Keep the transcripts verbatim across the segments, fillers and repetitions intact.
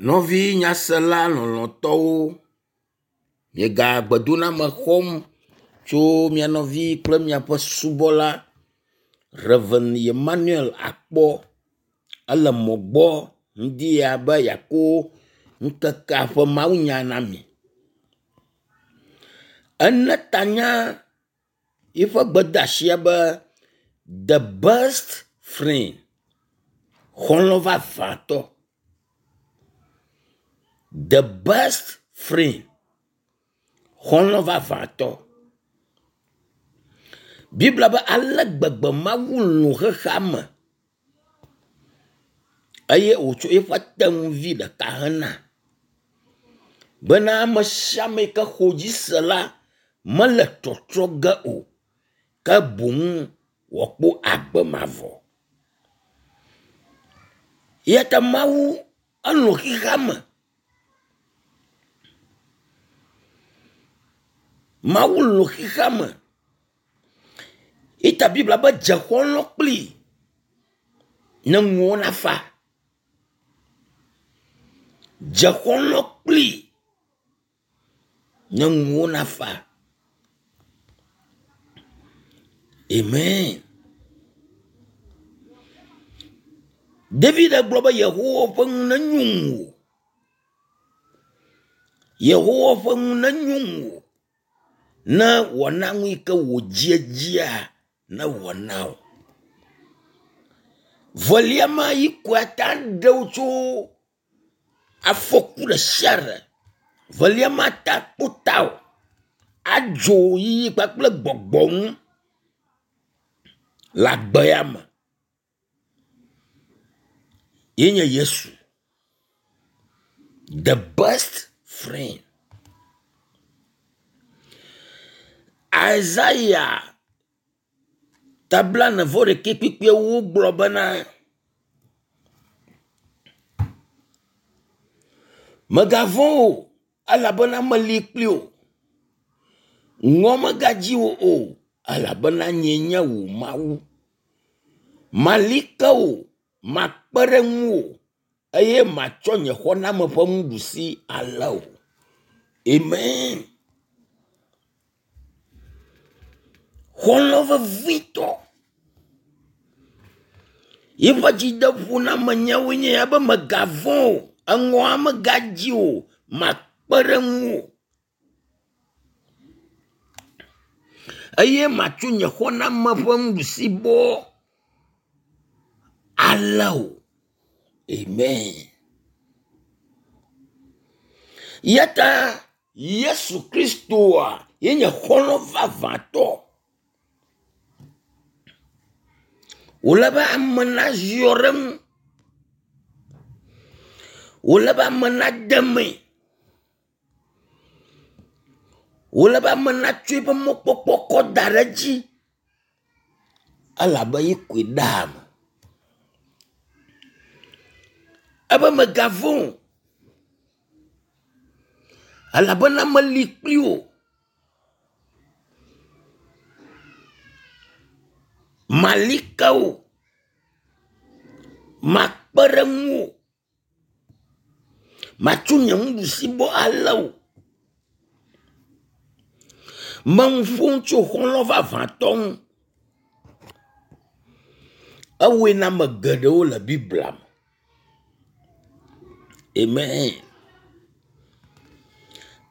Nɔvi nyasela lɔlɔ̃tɔwo, miega gbedoname xɔm tso mia nɔvi kple miaƒe subɔla Rev. Emmanuel Akpɔ. Ele mɔ gbɔ ŋdi ya be yeako ŋkekea ƒe mawunya na mi. Ene ta na yiƒe gbedeasia be the best friend, xɔlɔ̃ vavãtɔ. The best friend, xɔlɔ̃ vavãtɔ. Biblia be ale gbegbe Mawu lɔ̃ xexea me eye wòtsɔ eƒe tenuvi ɖeka hena bena ame sia ame yi ke xɔ dzi se la mele tsɔtsrɔ̃ ge o ke boŋ wòakpɔ agbe mavɔ. Eya ta Mawu elɔ̃ xexea me. Mawu lɔ̃ xexea me. Eya ta Biblia be dze xɔlɔ̃ kplii ne nuwò nafa. Dze xɔlɔ̃ kplii ne nuwò nafa. Amen. David gblɔ be Yehowa ƒe nu nenyo ŋuwò. Yehowa ƒe nu nenyo ŋuwò. Ne wòana nu yi ke wò dziedzia newɔ na wò. Velia ma yi koe ate ɖe wò tso afɔku ɖe sia ɖe. Velia ma ate akpɔ tawò adzo yiyi kpakple gbɔgbɔ ŋu le agbe ya me. Ye nye Yesu. The best friend. Isaiah ta blaene vɔ ɖekɛ kpukpuiwo gblɔ bena, Mègavɔ̃ o, elabena meli kpli wò. Ŋɔ megadzi wò o, elabena nyee nye wò Mawu. Mali ke wò, makpe ɖe ŋuwò eye matsɔ nye xɔname ƒe nuɖusi alé wò. Amen. Xɔlɔ̃ vevitɔ. Yiƒe dzideƒonamenyawoe nye ya be mègavɔ̃ o, eŋɔa megadzi o, makpe ɖe ŋuwò eye matso nye xɔname ƒe nuɖusibɔ alé wò. Amen. Ya ta Yesu Kristoa ye nye xɔlɔ̃ vavãtɔ. Wòle be ame naziɔ ɖe eŋu. Wòle be ame nade mee. Wòle be ame natsɔ eƒe mɔkpɔkpɔ kɔ da ɖe edzi elabe ye koe ɖea ame. Ebe mègavɔ̃ o elabena meli kpli wò. Mali ke wò. Makpe ɖe ŋuwò. Matso nye nuɖusibɔ alé wò. Menu ƒom tso xɔlɔ̃ vavãtɔ ŋu. Ewɔe na ame geɖewo le Biblia me. Amen.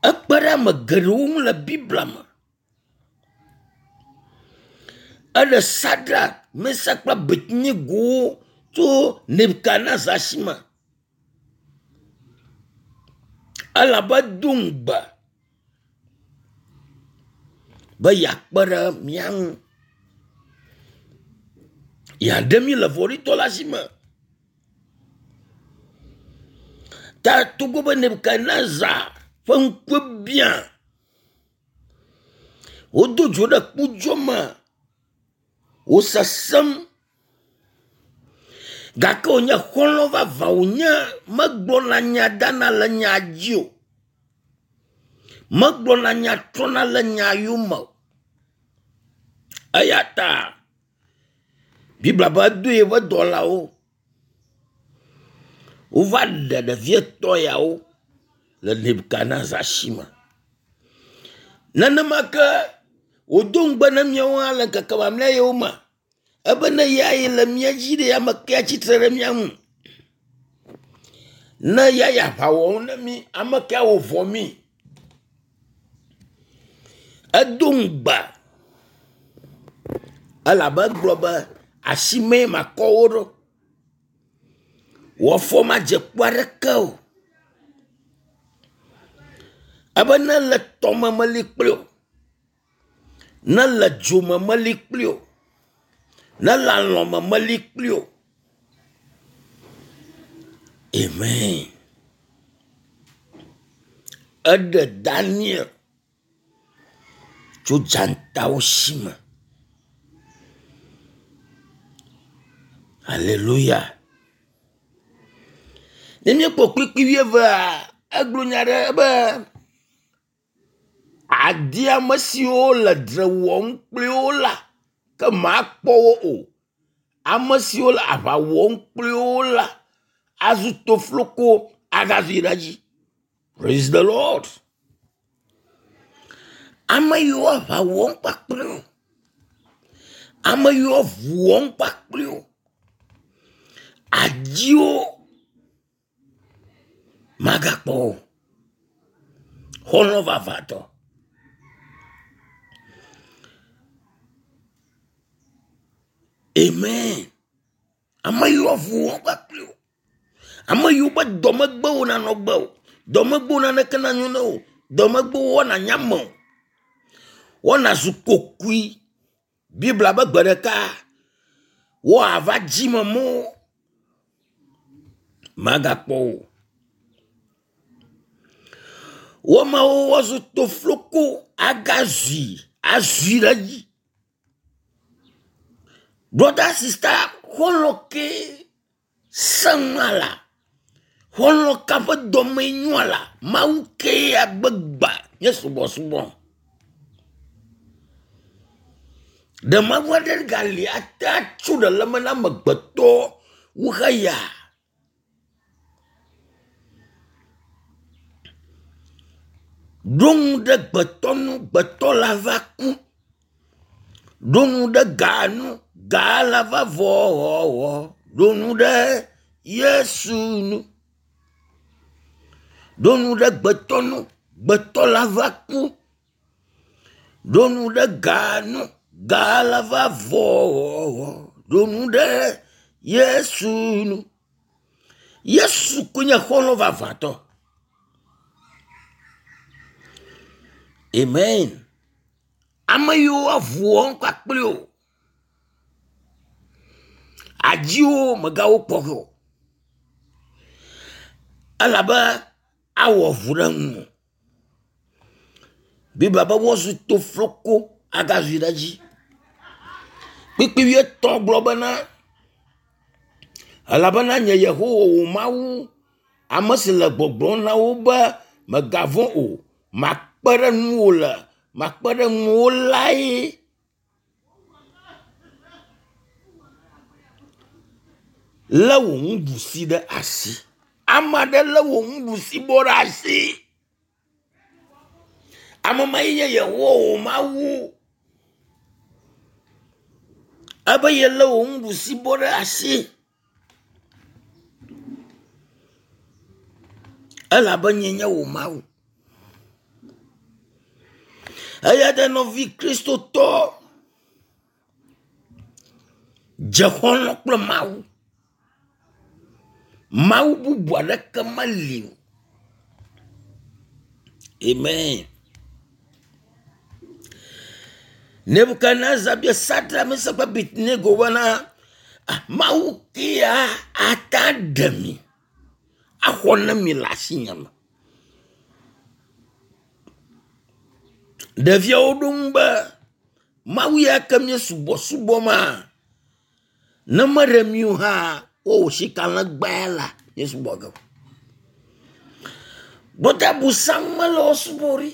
Ekpe ɖe ame geɖewo ŋu le Biblia me. Eɖe Sadrak, Mesak kple Abednego tso Nebukadnezar si me. Elabe edo ŋugbe be yeakpe ɖe mía ŋu. Yeaɖe mí le vɔ̃ɖitɔ la si me. Ta togbɔ be Nebukadnezar ƒe ŋkue biã, wodo dzo ɖe kpodzo me, wòsesẽm gake wònye xɔlɔ̃ vavã wònye megblɔna nya dana le nya dzi o. Megblɔna nya trɔna le nya yome o. Eya ta Biblia be edo eƒe dɔlawo. Wova ɖe ɖevi etɔ̃ yawo le Nebukadnezar si me. Nenema ke wòdo ŋugbe na míawo hã le ŋkeke mamlɛ yawo me ebe ne ya yi le mía dzi ɖe ame kae atsitre ɖe mía ŋu? Ne ya yi aʋa wɔm na mí, ame kae awɔ vɔ mí? Edo ŋugbe elabe egblɔ be asimee makɔ wo ɖo. Wò afɔ madze kpo aɖeke o. Ebe ne le tɔme meli kpli wò, ne le dzome meli kpli wò, ne le alɔme meli kpli wò. Amen. Eɖe Daniel tso dzatawo si me. Aleluya. Ne míekpɔ kplikpli wuievea, egblɔ nya ɖe be adi ame siwo le dzre wɔm kpli wo la, ke makpɔ wo o. Ame siwo le aʋa wɔm kpli wo la azu tofloko agazui ɖe edzi. Praise the Lord. Ame yiwo aʋa wɔm kpakple wo, ame yiwo avu wɔm kpakple wo, adi wo magakpɔ wo o. Xɔlɔ̃ vavãtɔ. Amen. Ame yiwo avu wɔm kpakple wo, ame yiwo be dɔmegbe wo nanɔ gbe o, dɔmegbe wo naneke nanyo na wo, dɔmegbe wo woana nya me o, woana zu kokui. Biblia be gbe ɖeka woava dzi me mɔ magakpɔ wo. Woamewo woazu tofloko agazui azui ɖe edzi. Brother sister, xɔlɔ̃ ke sẽŋua la, xɔlɔ̃ ka ƒe dɔme nyoa la, Mawu kee agbegba nye subɔsubɔ. Ɖe Mawu aɖe gali ate atso ɖe le eme na amegbetɔ wu xeya? Ɖo ŋu ɖe gbetɔ nu, gbetɔ la va ku. Ɖo ŋu ɖe ga nu, ga la va vɔ wɔwɔ. Ɖo ŋu ɖe Yesu nu. Ɖo ŋu ɖe gbetɔ nu, gbetɔ la va ku. Ɖo ŋu ɖe ga nu, ga la va vɔ wɔwɔ. Ɖo ŋu ɖe Yesu nu. Yesu koe nye xɔlɔ̃ vavãtɔ. Amen. Ame yiwo avu wɔm kpakple wo, adziwo megawo kpɔ ge o. Elabe awɔ vu ɖe ŋuwò. Biblia be woazu tofloko agazui ɖe edzi. Kpukpui wuietɔ̃ gblɔ bena, elabena nye Yehowa wò Mawu, ame si le gbɔgblɔm na wo be mègavɔ̃ o, makpe ɖe ŋuwò le, makpe ɖe ŋuwò lae. Lé wò nuɖusi ɖe asi. Ame aɖe lé wò nuɖusi bɔ ɖe asi. Ame ma ye nye Yehowa wò Mawu. Ebe yelé wò nuɖusi bɔ ɖe asi. Elabe nye nye wò Mawu. Eya ta nɔvi Kristotɔ dze xɔlɔ̃ kple Mawu. Mawu bubu aɖeke meli o. Amen. Nebukadnezar bia Sadrak, Mesak kple Abednego bena, Mawu kea ate aɖe mi, axɔ na mi le asinye me. Ɖeviawo ɖo ŋu be, Mawu ya ke mí subɔsubɔ ma, ne meɖe mi o hã, wowɔ sikalẽgba la, míesubɔ ge o. Brɔda Bosam mele wo subɔ ɖi.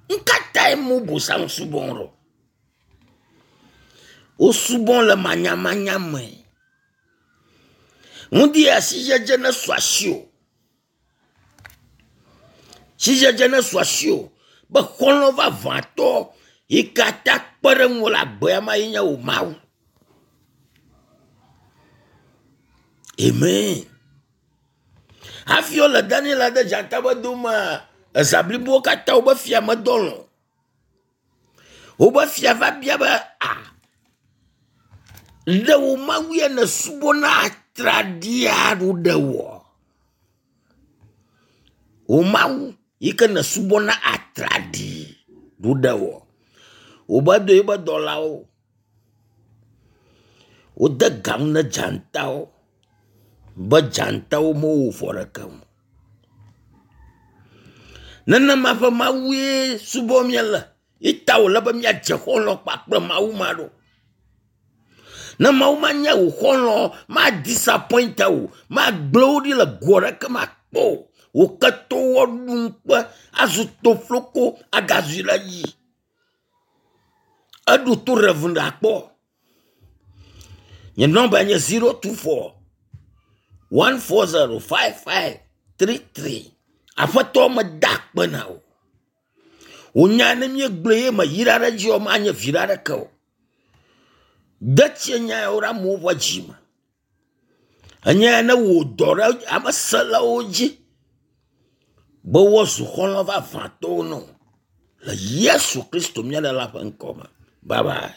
Ŋkatae mo Bosam subɔm ɖo? Wosubɔ le manyamanya me. Ŋdi ya sidzedze ne su asiwò. Sidzedze ne su asiwò be xɔlɔ̃ vavãtɔ yi katã kpe ɖe ŋuwò le agbea ma ye nye wò Mawu. Amen. Hafi wole Daniel de dzata be domea, eza blibowo katã wobe fia medɔ lɔ̃. Wobe fia va bia be a ɖe wò Mawu ya nèsubɔna atraɖii aɖo ɖe wò? Wò Mawu yi ke nèsubɔna atraɖii ɖo ɖe wò? Wobe do eƒe dɔlawo. Wode ga nu ne dzatawo be dzatawo mewɔ vɔ ɖeke o. Nenema ƒe Mawue subɔm míele. Ye ta wòle be míadze xɔlɔ̃ kpakple Mawu ma ɖo. Ne Mawu ma nye wò xɔlɔ̃, ma disappoint wò, magblẽ wò ɖi le go aɖeke me akpɔ o. Wò ketɔwo aɖu ŋukpe, azu tofloko, agazui ɖe edzi. Eɖo to Reverend akpɔ. Nye nɔmba nye zero two four one four zero five five three three. Aƒetɔ meda akpe na wò. Wò nya ne míegblɔe ye meyra ɖe edzi o, manye viɖe aɖeke o. De tsie nya yawo ɖe amewo ƒe dzi me. Enye ne wò dɔ ɖe ame selawo dzi be woazu xɔlɔ̃ vavãtɔwo na wò le Yesu Kristo mía Ɖela ƒe ŋkɔ me. Bye bye.